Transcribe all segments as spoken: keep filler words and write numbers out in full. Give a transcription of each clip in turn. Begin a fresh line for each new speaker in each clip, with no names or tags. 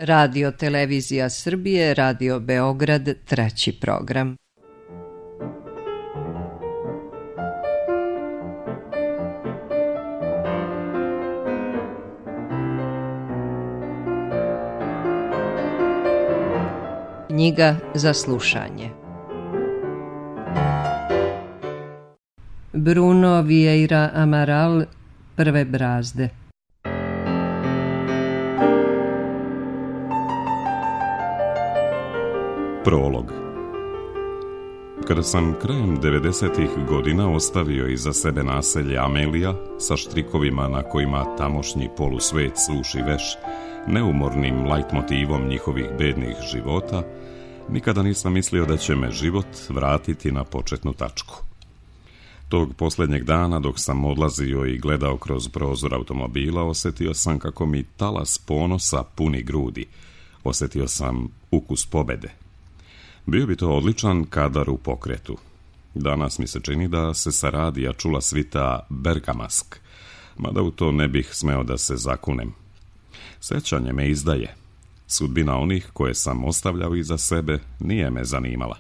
Radio Televizija Srbije, Radio Beograd, treći program. Knjiga za slušanje. Bruno Vieira Amaral, Prve brazde.
Prolog. Kada sam krajem devedesetih godina ostavio iza sebe naselje Amelija sa štrikovima na kojima tamošnji polusvet sluši veš, neumornim lajtmotivom njihovih bednih života, nikada nisam mislio da će me život vratiti na početnu tačku. Tog posljednjeg dana, dok sam odlazio i gledao kroz prozor automobila, osjetio sam kako mi talas ponosa puni grudi. Osjetio sam ukus pobede. Bio bi to odličan kadar u pokretu. Danas mi se čini da se sa radija čula svita Bergamask, mada u to ne bih smeo da se zakunem. Sjećanje me izdaje. Sudbina onih koje sam ostavljao iza sebe nije me zanimala.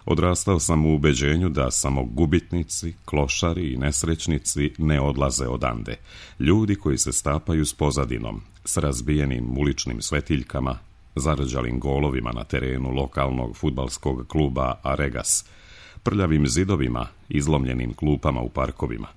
Odrastao sam u ubeđenju da samo gubitnici, klošari i nesrećnici ne odlaze odande. Ljudi koji se stapaju s pozadinom, s razbijenim uličnim svetiljkama, zarđalim golovima na terenu lokalnog fudbalskog kluba Aregas, prljavim zidovima, izlomljenim klupama u parkovima.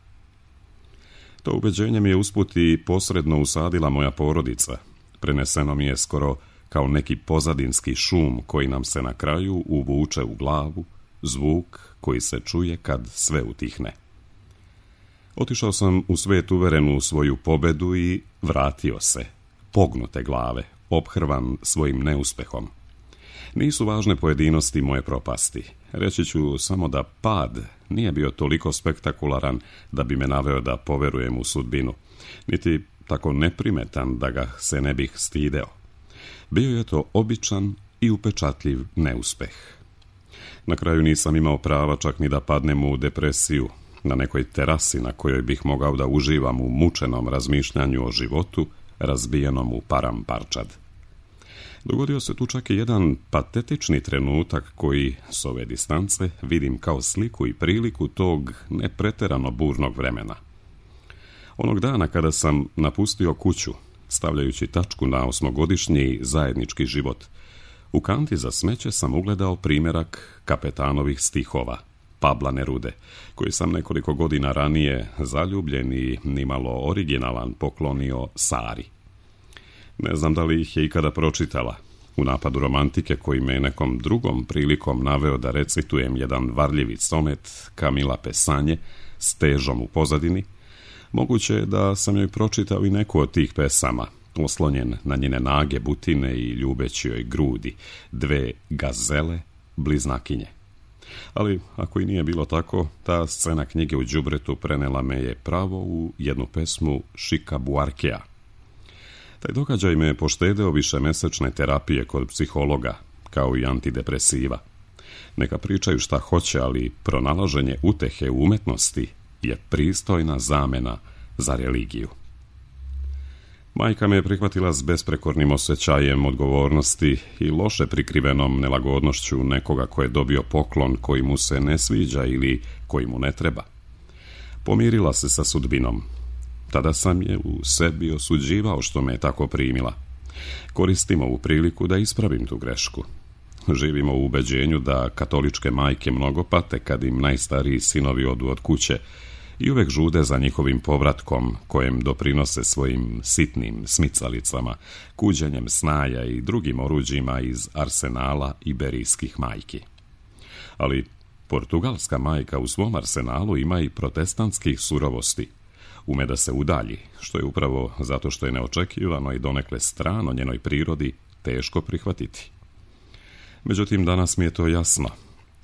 To ubeđenje mi je usput i posredno usadila moja porodica. Preneseno mi je skoro kao neki pozadinski šum koji nam se na kraju uvuče u glavu, zvuk koji se čuje kad sve utihne. Otišao sam u svet uveren u svoju pobedu i vratio se, pognute glave, ophrvan svojim neuspehom. Nisu važne pojedinosti moje propasti. Reći ću samo da pad nije bio toliko spektakularan da bi me naveo da poverujem u sudbinu, niti tako neprimetan da ga se ne bih stideo. Bio je to običan i upečatljiv neuspeh. Na kraju nisam imao prava čak ni da padnem u depresiju, na nekoj terasi na kojoj bih mogao da uživam u mučenom razmišljanju o životu, razbijenom u param parčad. Dogodio se tu čak i jedan patetični trenutak koji, s ove distance, vidim kao sliku i priliku tog nepreterano burnog vremena. Onog dana kada sam napustio kuću, stavljajući tačku na osmogodišnji zajednički život, u kanti za smeće sam ugledao primjerak Kapetanovih stihova, Pabla Nerude, koji sam nekoliko godina ranije zaljubljen i nimalo originalan poklonio Sari. Ne znam da li ih je ikada pročitala. U napadu romantike koji me nekom drugom prilikom naveo da recitujem jedan varljivi sonet Kamila Pesanje s težom u pozadini, moguće je da sam joj pročitao i neku od tih pesama, oslonjen na njene nage butine i ljubeći joj grudi, dve gazele, bliznakinje. Ali, ako i nije bilo tako, ta scena knjige u đubretu prenela me je pravo u jednu pesmu Šika Buarkea. Taj događaj me je poštedeo višemesečne terapije kod psihologa, kao i antidepresiva. Neka pričaju šta hoće, ali pronalaženje utehe u umetnosti je pristojna zamena za religiju. Majka me je prihvatila s besprekornim osjećajem odgovornosti i loše prikrivenom nelagodnošću nekoga ko je dobio poklon koji mu se ne sviđa ili koji mu ne treba. Pomirila se sa sudbinom. Tada sam je u sebi osuđivao što me je tako primila. Koristim ovu priliku da ispravim tu grešku. Živimo u ubeđenju da katoličke majke mnogo pate kad im najstariji sinovi odu od kuće i uvek žude za njihovim povratkom, kojem doprinose svojim sitnim smicalicama, kuđenjem snaja i drugim oruđima iz arsenala iberijskih majki. Ali portugalska majka u svom arsenalu ima i protestantskih surovosti. Ume da se udalji, što je upravo zato što je neočekivano i donekle strano njenoj prirodi teško prihvatiti. Međutim, danas mi je to jasno.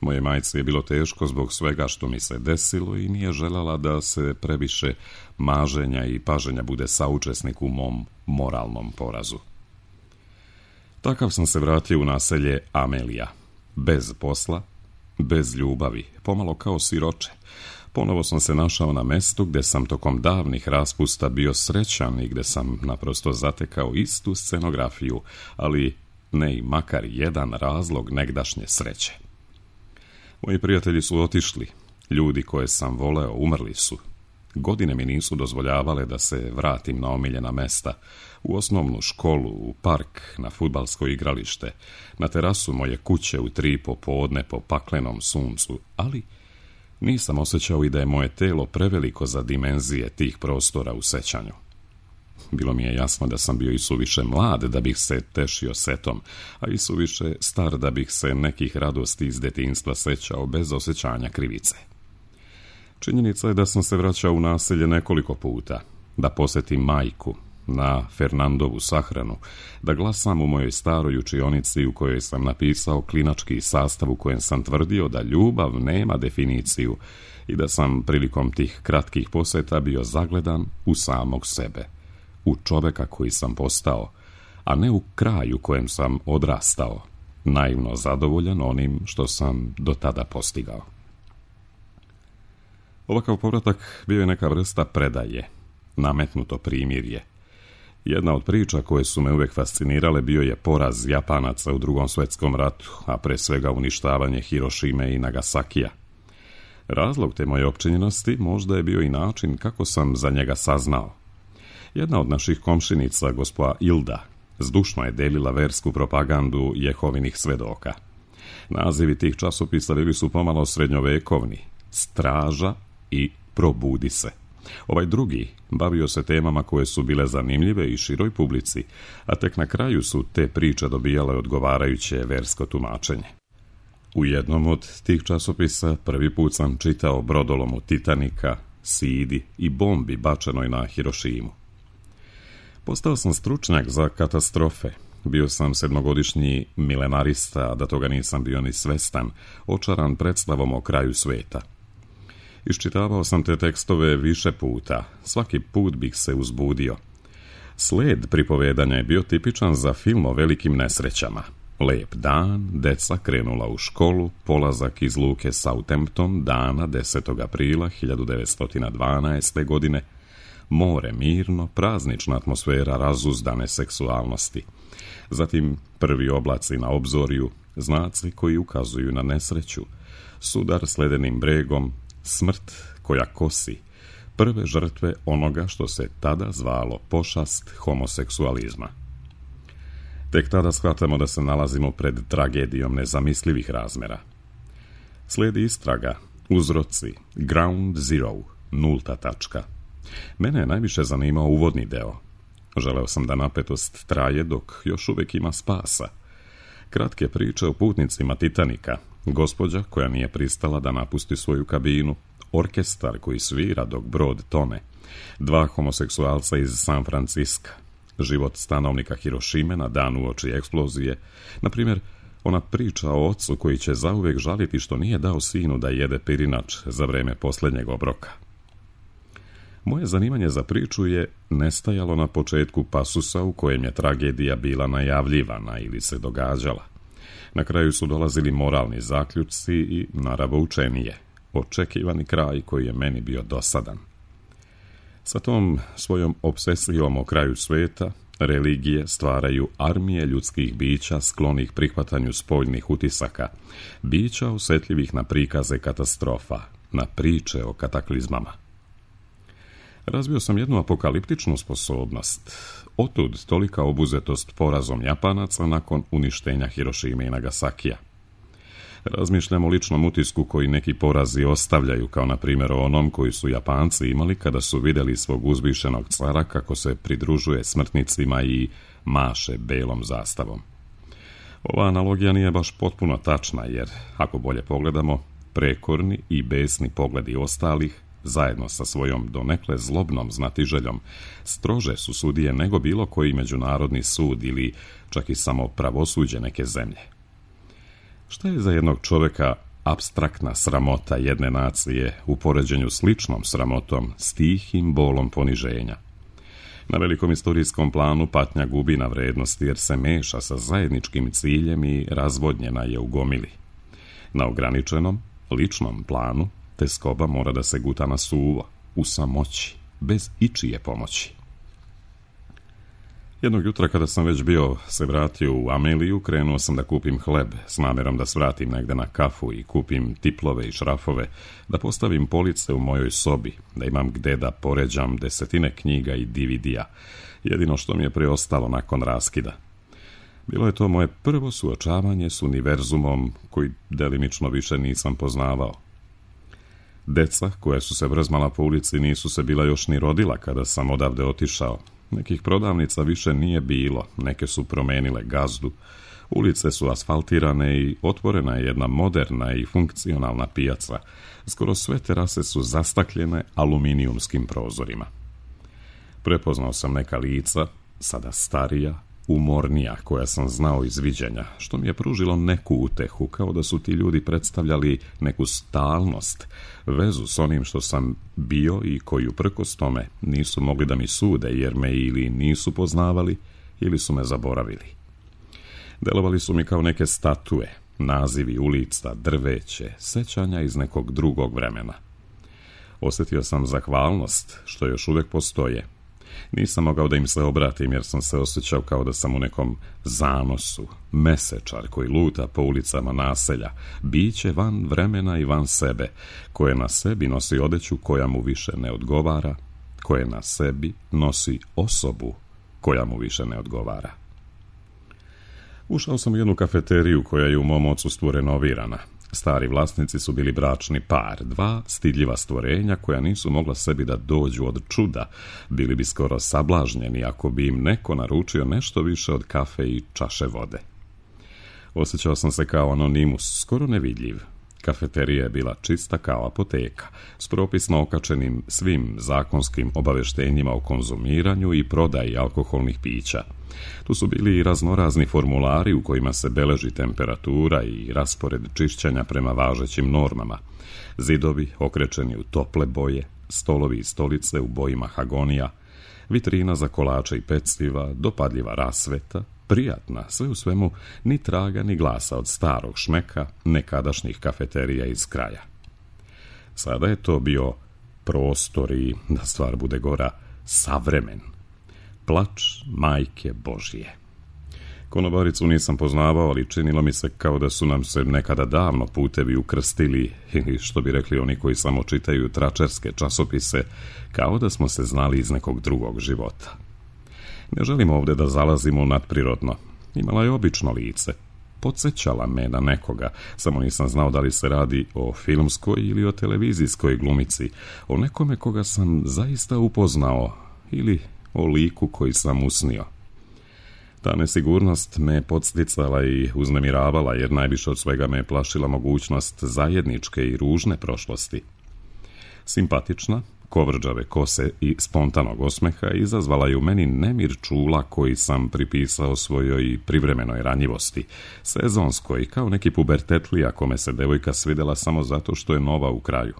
Moje majci je bilo teško zbog svega što mi se desilo i nije željela da se previše maženja i paženja bude saučesnik u mom moralnom porazu. Takav sam se vratio u naselje Amelija. Bez posla, bez ljubavi, pomalo kao siroče, Ponovo sam se našao na mestu gdje sam tokom davnih raspusta bio srećan i gdje sam naprosto zatekao istu scenografiju, ali ne i makar jedan razlog negdašnje sreće. Moji prijatelji su otišli, ljudi koje sam voleo umrli su. Godine mi nisu dozvoljavale da se vratim na omiljena mesta, u osnovnu školu, u park, na fudbalsko igralište, na terasu moje kuće u tri popodne po paklenom suncu, ali nisam osjećao i da je moje telo preveliko za dimenzije tih prostora u sećanju. Bilo mi je jasno da sam bio i suviše mlad da bih se tešio setom, a i suviše star da bih se nekih radosti iz detinjstva sećao bez osjećanja krivice. Činjenica je da sam se vraćao u naselje nekoliko puta, da posjetim majku, na Fernandovu sahranu, da glasam u mojoj staroj učionici u kojoj sam napisao klinački sastav u kojem sam tvrdio da ljubav nema definiciju i da sam prilikom tih kratkih posjeta bio zagledan u samog sebe, u čoveka koji sam postao, a ne u kraju kojem sam odrastao, naivno zadovoljan onim što sam do tada postigao. Ovakav povratak bio je neka vrsta predaje, nametnuto primirje. Jedna od priča koje su me uvijek fascinirale bio je poraz Japanaca u Drugom svjetskom ratu, a pre svega uništavanje Hirošime i Nagasakija. Razlog te moje opčinjenosti možda je bio i način kako sam za njega saznao. Jedna od naših komšinica, gospođa Ilda, zdušno je delila versku propagandu Jehovinih svedoka. Nazivi tih časopisa bili su pomalo srednjovekovni, Straža i Probudi se. Ovaj drugi bavio se temama koje su bile zanimljive i široj publici, a tek na kraju su te priče dobijale odgovarajuće versko tumačenje. U jednom od tih časopisa prvi put sam čitao brodolomu Titanika, Sidi i bombi bačenoj na Hirošimu. Postao sam stručnjak za katastrofe. Bio sam sedmogodišnji milenarista, a da toga nisam bio ni svestan, očaran predstavom o kraju sveta. Iščitavao sam te tekstove više puta, svaki put bih se uzbudio. Sled pripovedanja je bio tipičan za film o velikim nesrećama. Lep dan, deca krenula u školu, polazak iz luke Southampton dana desetog aprila hiljadu devetsto dvanaeste. godine, more mirno, praznična atmosfera razuzdane seksualnosti. Zatim prvi oblaci na obzorju, znaci koji ukazuju na nesreću, sudar s ledenim bregom, smrt koja kosi, prve žrtve onoga što se tada zvalo pošast homoseksualizma. Tek tada shvatamo da se nalazimo pred tragedijom nezamislivih razmera. Slijedi istraga, uzroci, ground zero, nulta tačka. Mene je najviše zanimao uvodni deo. Želeo sam da napetost traje dok još uvijek ima spasa. Kratke priče o putnicima Titanika, gospođa koja nije pristala da napusti svoju kabinu, orkestar koji svira dok brod tone, dva homoseksualca iz San Franciska, život stanovnika Hirošime na dan uoči eksplozije, na primjer, ona priča o ocu koji će zauvijek žaliti što nije dao sinu da jede pirinač za vreme posljednjeg obroka. Moje zanimanje za priču je nestajalo na početku pasusa u kojem je tragedija bila najavljivana ili se događala. Na kraju su dolazili moralni zaključci i naravoučenije, očekivani kraj koji je meni bio dosadan. Sa tom svojom obsesijom o kraju sveta, religije stvaraju armije ljudskih bića sklonih prihvatanju spoljnih utisaka, bića osjetljivih na prikaze katastrofa, na priče o kataklizmama. Razvio sam jednu apokaliptičnu sposobnost. Otud tolika obuzetost porazom Japanaca nakon uništenja Hirošime i Nagasakija. Razmišljam o ličnom utisku koji neki porazi ostavljaju, kao na primjer o onom koji su Japanci imali kada su vidjeli svog uzvišenog cara kako se pridružuje smrtnicima i maše belom zastavom. Ova analogija nije baš potpuno tačna, jer, ako bolje pogledamo, prekorni i besni pogledi ostalih, zajedno sa svojom donekle zlobnom znatiželjom, strože su sudije nego bilo koji međunarodni sud ili čak i samo pravosuđe neke zemlje. Šta je za jednog čovjeka apstraktna sramota jedne nacije u poređenju s ličnom sramotom, s tihim bolom poniženja? Na velikom istorijskom planu patnja gubi na vrednosti jer se meša sa zajedničkim ciljem i razvodnjena je u gomili. Na ograničenom, ličnom planu teskoba mora da se guta na suvo, u samoći, bez ičije pomoći. Jednog jutra kada sam već bio se vratio u Ameliju, krenuo sam da kupim hleb s namjerom da svratim negde na kafu i kupim tiplove i šrafove, da postavim police u mojoj sobi, da imam gde da poređam desetine knjiga i D V D-a, jedino što mi je preostalo nakon raskida. Bilo je to moje prvo suočavanje s univerzumom koji delimično više nisam poznavao. Deca koja su se vrzmala po ulici nisu se bila još ni rodila kada sam odavde otišao. Nekih prodavnica više nije bilo, neke su promenile gazdu, ulice su asfaltirane i otvorena je jedna moderna i funkcionalna pijaca. Skoro sve terase su zastakljene aluminijumskim prozorima. Prepoznao sam neka lica, sada starija, umornija, koja sam znao iz viđenja, što mi je pružilo neku utehu, kao da su ti ljudi predstavljali neku stalnost, vezu s onim što sam bio i koji uprkos tome nisu mogli da mi sude, jer me ili nisu poznavali ili su me zaboravili. Delovali su mi kao neke statue, nazivi ulica, drveće, sećanja iz nekog drugog vremena. Osjetio sam zahvalnost što još uvijek postoje. Nisam mogao da im se obratim jer sam se osjećao kao da sam u nekom zanosu, mesečar koji luta po ulicama naselja, biće van vremena i van sebe, koje na sebi nosi odeću koja mu više ne odgovara, koje na sebi nosi osobu koja mu više ne odgovara. Ušao sam u jednu kafeteriju koja je u mom odsustvu renovirana. Stari vlasnici su bili bračni par, dva stidljiva stvorenja koja nisu mogla sebi da dođu od čuda, bili bi skoro sablažnjeni ako bi im neko naručio nešto više od kafe i čaše vode. Osjećao sam se kao anonimus, skoro nevidljiv. Kafeterija je bila čista kao apoteka, s propisno okačenim svim zakonskim obaveštenjima o konzumiranju i prodaji alkoholnih pića. Tu su bili i raznorazni formulari u kojima se beleži temperatura i raspored čišćenja prema važećim normama. Zidovi okrečeni u tople boje, stolovi i stolice u boji mahagonija, vitrina za kolače i peciva, dopadljiva rasveta, prijatna, sve u svemu ni traga ni glasa od starog šmeka nekadašnjih kafeterija iz kraja. Sada je to bio prostor i, da stvar bude gora, savremen. Plač majke Božije. Konobaricu nisam poznavao, ali činilo mi se kao da su nam se nekada davno putevi ukrstili, ili što bi rekli oni koji samo čitaju tračerske časopise, kao da smo se znali iz nekog drugog života. Ne želim ovdje da zalazimo u nadprirodno. Imala je obično lice. Podsjećala me na nekoga, samo nisam znao da li se radi o filmskoj ili o televizijskoj glumici, o nekome koga sam zaista upoznao ili o liku koji sam usnio. Ta nesigurnost me podsticala i uznemiravala, jer najviše od svega me plašila mogućnost zajedničke i ružne prošlosti. Simpatična, kovrđave kose i spontanog osmeha izazvala je u meni nemir čula koji sam pripisao svojoj privremenoj ranjivosti, sezonskoj, kao neki pubertetlija kome se devojka svidela samo zato što je nova u kraju.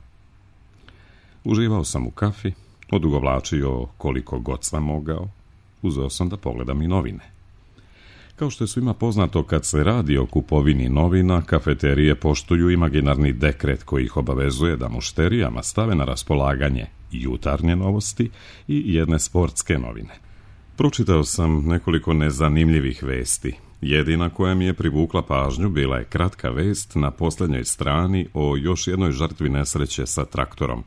Uživao sam u kafi, odugovlačio koliko god sam mogao, uzeo sam da pogledam i novine. Kao što je svima poznato, kad se radi o kupovini novina, kafeterije poštuju imaginarni dekret koji ih obavezuje da mušterijama stave na raspolaganje jutarnje novosti i jedne sportske novine. Pročitao sam nekoliko nezanimljivih vesti. Jedina koja mi je privukla pažnju bila je kratka vest na posljednjoj strani o još jednoj žrtvi nesreće sa traktorom.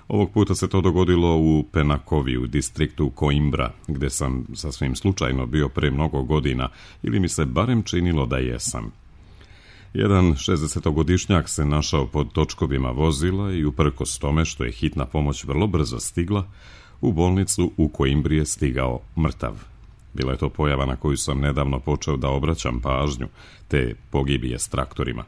Ovog puta se to dogodilo u Penakovi, u distriktu Coimbra, gdje sam sasvim slučajno bio pre mnogo godina, ili mi se barem činilo da jesam. Jedan šezdesetogodišnjak se našao pod točkovima vozila i uprkos tome što je hitna pomoć vrlo brzo stigla, u bolnicu u Coimbri je stigao mrtav. Bila je to pojava na koju sam nedavno počeo da obraćam pažnju, te pogibije s traktorima.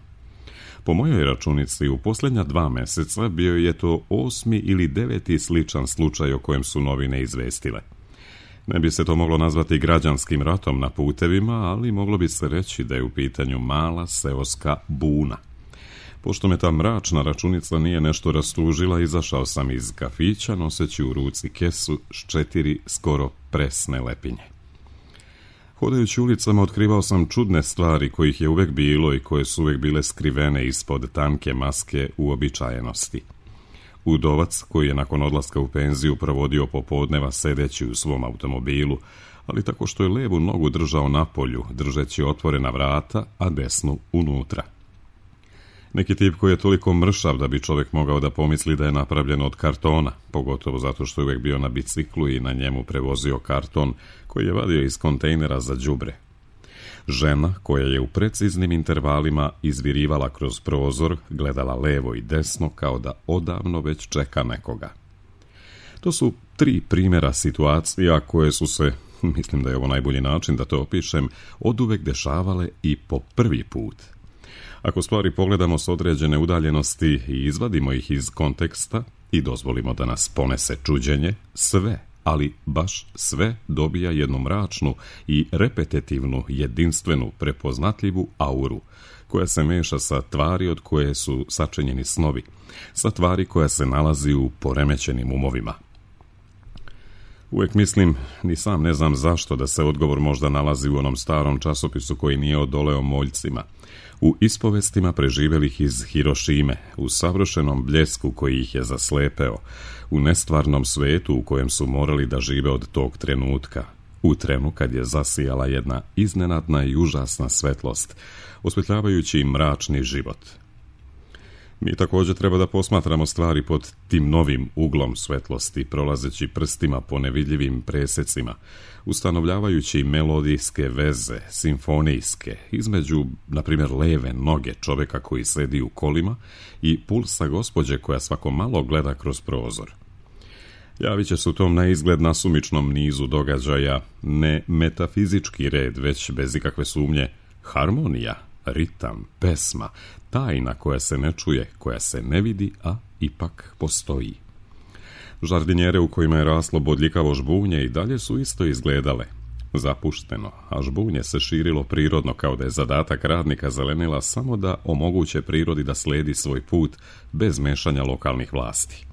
Po mojoj računici, u posljednja dva mjeseca bio je to osmi ili deveti sličan slučaj o kojem su novine izvestile. Ne bi se to moglo nazvati građanskim ratom na putevima, ali moglo bi se reći da je u pitanju mala seoska buna. Pošto me ta mračna računica nije nešto rastužila, izašao sam iz kafića noseći u ruci kesu s četiri skoro presne lepinje. Hodajući ulicama otkrivao sam čudne stvari kojih je uvek bilo i koje su uvek bile skrivene ispod tanke maske uobičajenosti. Udovac koji je nakon odlaska u penziju provodio popodneva sedeći u svom automobilu, ali tako što je levu nogu držao na polju, držeći otvorena vrata, a desnu unutra. Neki tip koji je toliko mršav da bi čovjek mogao da pomisli da je napravljen od kartona, pogotovo zato što je uvijek bio na biciklu i na njemu prevozio karton koji je vadio iz kontejnera za đubre. Žena koja je u preciznim intervalima izvirivala kroz prozor, gledala levo i desno kao da odavno već čeka nekoga. To su tri primjera situacija koje su se, mislim da je ovo najbolji način da to opišem, oduvek dešavale i po prvi put. Ako stvari pogledamo s određene udaljenosti i izvadimo ih iz konteksta i dozvolimo da nas ponese čuđenje, sve, ali baš sve dobija jednu mračnu i repetitivnu, jedinstvenu, prepoznatljivu auru, koja se meša sa tvari od koje su sačinjeni snovi, sa tvari koja se nalazi u poremećenim umovima. Uvijek mislim, ni sam ne znam zašto, da se odgovor možda nalazi u onom starom časopisu koji nije odoleo moljcima, u ispovestima preživjelih iz Hirošime, u savršenom bljesku koji ih je zaslepeo, u nestvarnom svetu u kojem su morali da žive od tog trenutka, u trenu kad je zasijala jedna iznenadna i užasna svetlost, osvetljavajući im mračni život. Mi također treba da posmatramo stvari pod tim novim uglom svetlosti, prolazeći prstima po nevidljivim presecima, ustanovljavajući melodijske veze, simfonijske, između, na primjer, leve noge čovjeka koji sedi u kolima i pulsa gospođe koja svako malo gleda kroz prozor. Javit će se u tom na izgled nasumičnom nizu događaja ne metafizički red, već bez ikakve sumnje harmonija, ritam, pesma, tajna koja se ne čuje, koja se ne vidi, a ipak postoji. Žardinjere u kojima je raslo bodljikavo žbunje i dalje su isto izgledale. Zapušteno, a žbunje se širilo prirodno kao da je zadatak radnika zelenila samo da omoguće prirodi da sledi svoj put bez mešanja lokalnih vlasti.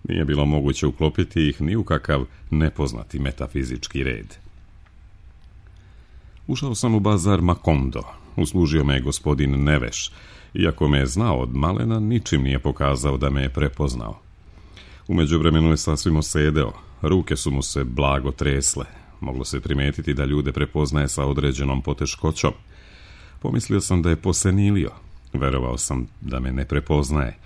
Nije bilo moguće uklopiti ih ni u kakav nepoznati metafizički red. Ušao sam u bazar Makondo. Uslužio me je gospodin Neveš. Iako me je znao od malena, ničim nije pokazao da me je prepoznao. U međuvremenu je sasvim osedeo. Ruke su mu se blago tresle. Moglo se primetiti da ljude prepoznaje sa određenom poteškoćom. Pomislio sam da je posenilio. Verovao sam da me ne prepoznaje.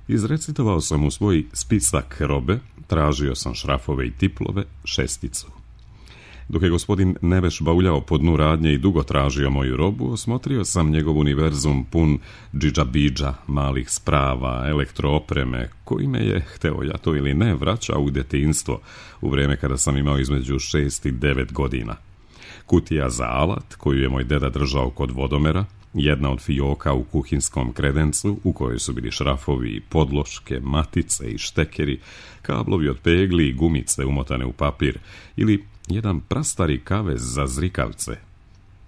Izrecitovao sam u svoj spisak robe, tražio sam šrafove i tiplove, šesticu. Dok je gospodin Neveš bauljao po dnu radnje i dugo tražio moju robu, osmotrio sam njegov univerzum pun džidžabidža, malih sprava, elektroopreme, koji me je, hteo ja to ili ne, vraćao u detinjstvo, u vrijeme kada sam imao između šest i devet godina. Kutija za alat, koju je moj deda držao kod vodomera, jedna od fijoka u kuhinskom kredencu, u kojoj su bili šrafovi, podloške, matice i štekeri, kablovi od pegli i gumice umotane u papir, ili jedan prastari kavez za zrikavce.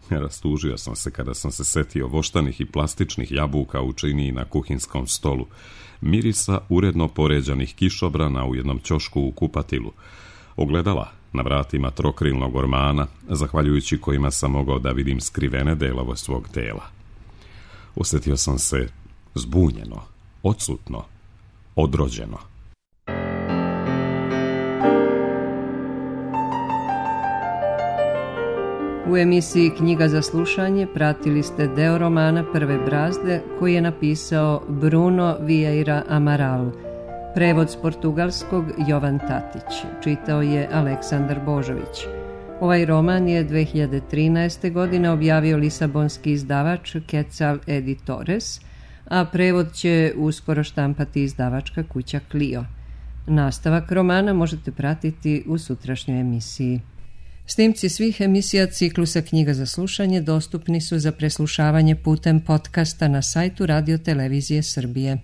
Rastužio sam se kada sam se setio voštanih i plastičnih jabuka u činiji na kuhinskom stolu, mirisa uredno poređanih kišobrana u jednom ćošku u kupatilu, ogledala na vratima trokrilnog ormana, zahvaljujući kojima sam mogao da vidim skrivene delove svog tela. Osjetio sam se zbunjeno, odsutno, odrođeno.
U emisiji Knjiga za slušanje pratili ste deo romana Prve brazde koji je napisao Bruno Vieira Amaral. Prevod s portugalskog Jovan Tatić. Čitao je Aleksandar Božović. Ovaj roman je dve hiljade trinaeste. godine objavio lisabonski izdavač Quetzal Editores, a prevod će uskoro štampati izdavačka kuća Clio. Nastavak romana možete pratiti u sutrašnjoj emisiji. Snimci svih emisija ciklusa Knjiga za slušanje dostupni su za preslušavanje putem podcasta na sajtu Radio Televizije Srbije.